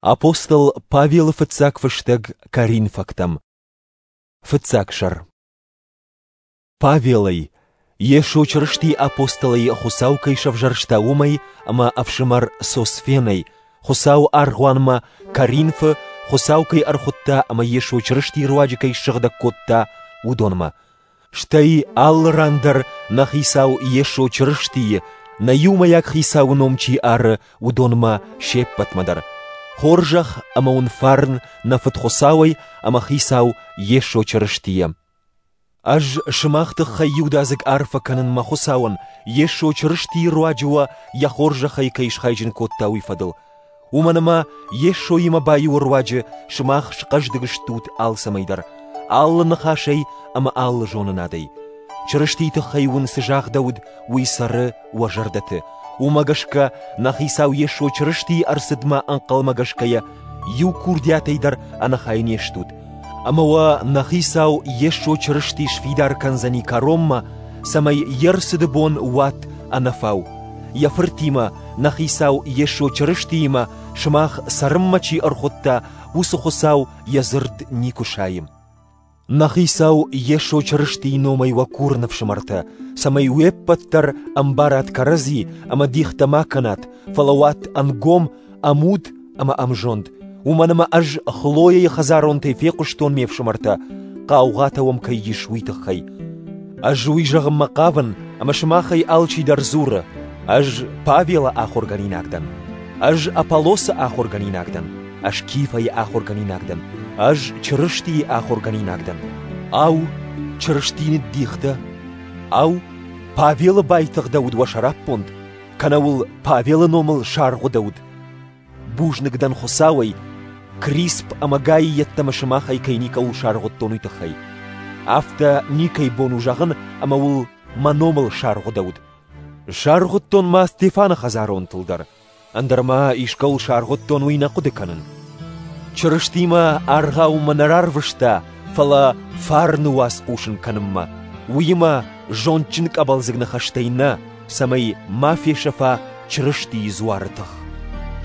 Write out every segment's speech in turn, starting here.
Апостол Павелы фыццаг фыстӕг Коринфӕгтӕм. Фыццаг сӕр. Павелӕй, Йесо Чырыстийы апостолӕй Хуыцау кӕй сӕвзӕрста, уымӕй ӕмӕ ӕфсымӕр Сосфенӕй, Хуыцауы аргъуанмӕ Коринфы Хуыцау кӕй ӕрхуыдта ӕмӕ Йесо Чырыстийы руаджы кӕй ссыгъдӕг кодта, уыдонмӕ. Стӕй алы ран дӕр нӕ Хицау Йесо Чырыстийы, нӕ иумӕйаг Хицауы ном чи ары, уыдонмӕ се ппӕтмӕ дӕр. Хорзӕх ӕмӕ уын фарн нӕ Фыд Хуыцауӕй ӕмӕ Хицау Йесо Чырыстийӕ. Ӕз сымах тыххӕй иудадзыг арфӕ кӕнын мӕ Хуыцауӕн, Йесо Чырыстийы руаджы уӕ йӕ хорзӕхӕй кӕй схайджын кодта, уый фӕдыл. Уымӕн ӕмӕ Йесоимӕ баиуы руаджы сымах схъӕздыг стут алцӕмӕй дӕр, алы ныхасӕй ӕмӕ алы зонынадӕй. Чырыстийы тыххӕй уын цы загъдӕуыд, уый цӕры уӕ зӕрдӕты. Уымӕ гӕсгӕ нӕ Хицау Йесо Чырыстийы ӕрцыдмӕ ӕнхъӕлмӕгӕсгӕйӕ иу курдиатӕй дӕр ӕнӕхай не стут. Ӕмӕ уӕ нӕ Хицау Йесо Чырысти сфидар кӕндзӕни кӕронмӕ, цӕмӕй йе рцыды бон уат ӕнӕфау. Йӕ Фыртимӕ, нӕ Хицау Йесо Чырыстиимӕ сымах цӕрынмӕ чи ӕрхуыдта, уыцы Хуыцау йӕ дзырд никуы сайы. Нӕ Хицау Йесо Чырыстийы номӕй уӕ курын, ӕфсымӕртӕ, цӕмӕй уе ппӕт дӕр ӕмбарат кӕрӕдзи ӕмӕ дихтӕ ма кӕнат, фӕлӕ уат ӕнгом, ӕмуд ӕмӕ ӕмзонд. Уымӕн ӕмӕ ӕз Хлояйы хӕдзаронтӕй фехъуыстон ме фсымӕртӕ, хъаугъатӕ уӕм кӕй ис, уый тыххӕй. Ӕз уый зӕгъынмӕ хъавын, ӕмӕ сымахӕй алчидӕр дзуры, ӕз Павелы ахуыргӕнинаг дӕн, ӕз Аполлосы ахуыргӕнинаг дӕн, ӕз Кифӕйы ахуыргӕнинаг дӕн, ӕз Чырыстийы ахуыргӕнинаг дӕн. Ау, Чырысти ныддихтӕ? Ау, Павелы байтыгъдӕуыд уӕ сӕраппонд, кӕнӕ уыл Павелы номыл саргъуыдӕуыд? Бузныг дӕн Хуыцауӕй, Крисп ӕмӕ Гайы йеддӕмӕ сымахӕй кӕй никӕуыл саргъуыдтон, уый тыххӕй. Афтӕ никӕй бон у зӕгъын, ӕмӕ уыл мӕ номыл саргъуыдӕуыд. Саргъуыдтон ма Стефаны хӕдзаронтыл дӕр, ӕндӕр ма искӕуыл саргъуыдтон, уый нӕ хъуыды кӕнын. Чырыстимӕ аргъаумӕ нӕ рарвыста, фӕлӕ фарны уац хъусын кӕнынмӕ, уыимӕ зондджын къӕбӕлдзыг ныхӕстӕй нӕ, цӕмӕй ма фесӕфа Чырыстийы дзуары тых.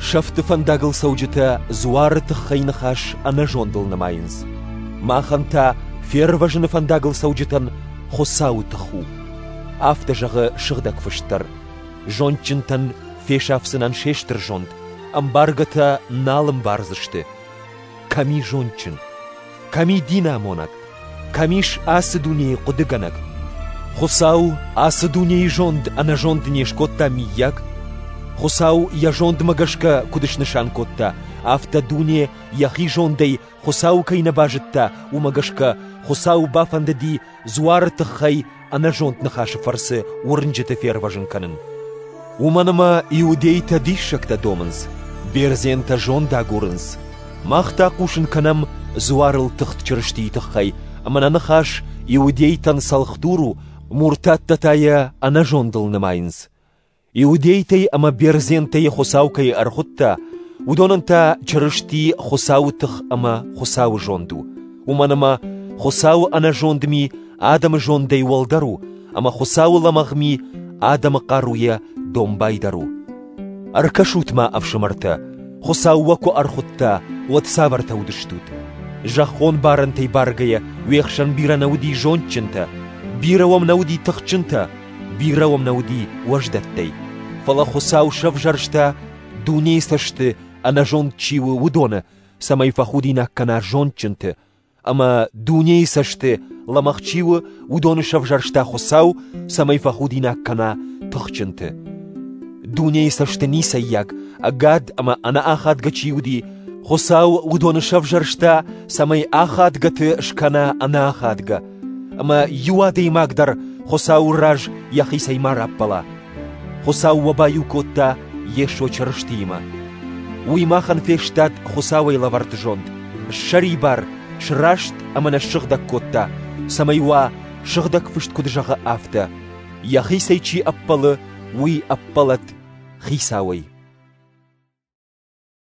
Сӕфты фӕндагыл цӕуджытӕ дзуары тыххӕй ныхас ӕнӕзондыл нымайынц. Махӕн та фервӕзыны фӕндагыл цӕуджытӕн Хуыцауы тых у. Афтӕ зӕгъы Сыгъдӕг Фыст дӕр. Зондджынтӕн фесафдзынӕн се стыр зонд, ӕмбаргӕтӕ нал ӕмбардзысты. Кӕм и зондджын? Кӕм и динамонӕг? Кӕм ис ацы дунейы хъуыдыгӕнӕг? Хуыцау ацы дунейы зонд ӕнӕзонд не скодта миййаг? Хуыцау йӕ зондмӕ гӕсгӕ куыд снысан кодта, афтӕ дуне йӕхи зондӕй Хуыцауы кӕй нӕ базыдта, уымӕ гӕсгӕ Хуыцауы бафӕндыди дзуары тыххӕй ӕнӕзонд ныхасы фӕрцы уырнджыты фервӕзын кӕнын. Уымӕн ӕмӕ иудейтӕ диссӕгтӕ домынц, бердзентӕ зонд агурынц. Мах та хъусын кӕнӕм дзуарыл тыхт Чырыстийы тыххӕй, ӕмӕ нӕ ныхас иудейтӕн цӕлхдур у, муртаттӕ та йӕ ӕнӕзондыл нымайынц. Иудейтӕй ӕмӕ бердзентӕй Хуыцау кӕй ӕрхуыдта, уыдонӕн та Чырысти Хуыцауы тых ӕмӕ Хуыцауы зонд у. Уымӕн ӕмӕ Хуыцауы ӕнӕзонд ми адӕмы зондӕй уӕлдӕр у, ӕмӕ Хуыцауы лӕмӕгъ ми адӕмы хъаруйӕ домбайдӕр у. Ӕркӕсут-ма, ӕфсымӕртӕ, Хуыцау уӕ куы ӕрхуыдта, уӕд цавӕртӕ уыдыстут? Зӕххон барӕнтӕй баргӕйӕ уе хсӕн бирӕ нӕ уыди зондджынтӕ, бирӕ уӕм нӕ уыди тыхджынтӕ, бирӕ уӕм нӕ уыди уӕздӕттӕй. Фӕлӕ Хуыцау сӕвзӕрста, дунейы цӕсты ӕнӕзонд чи у, уыдоны, цӕмӕй фӕхудинаг кӕна зондджынты, ӕмӕ дунейы цӕсты лӕмӕгъ чи у, уыдоны сӕвзӕрста Хуыцау, цӕмӕй фӕхудинаг кӕна тыхджынты. Дунейы цӕсты ницӕййаг, ӕгад ӕмӕ ӕнӕахадгӕ чи уыди, Хуыцау уыдоны сӕвзӕрста, цӕмӕй ахадгӕты скӕна ӕнӕахадгӕ, ӕмӕ иу адӕймаг дӕр Хуыцауы раз йӕхицӕй ма раппӕла. Хуыцау уӕ баиу кодта Йесо Чырыстиимӕ. Уый махӕн фестад Хуыцауӕй лӕвӕрд зонд, ссӕрибар, сраст ӕмӕ нӕ ссыгъдӕг кодта, цӕмӕй уа, Сыгъдӕг Фыст куыд зӕгъы, афтӕ: Йӕхицӕй чи ӕппӕлы, уый ӕппӕлӕд Хицауӕй.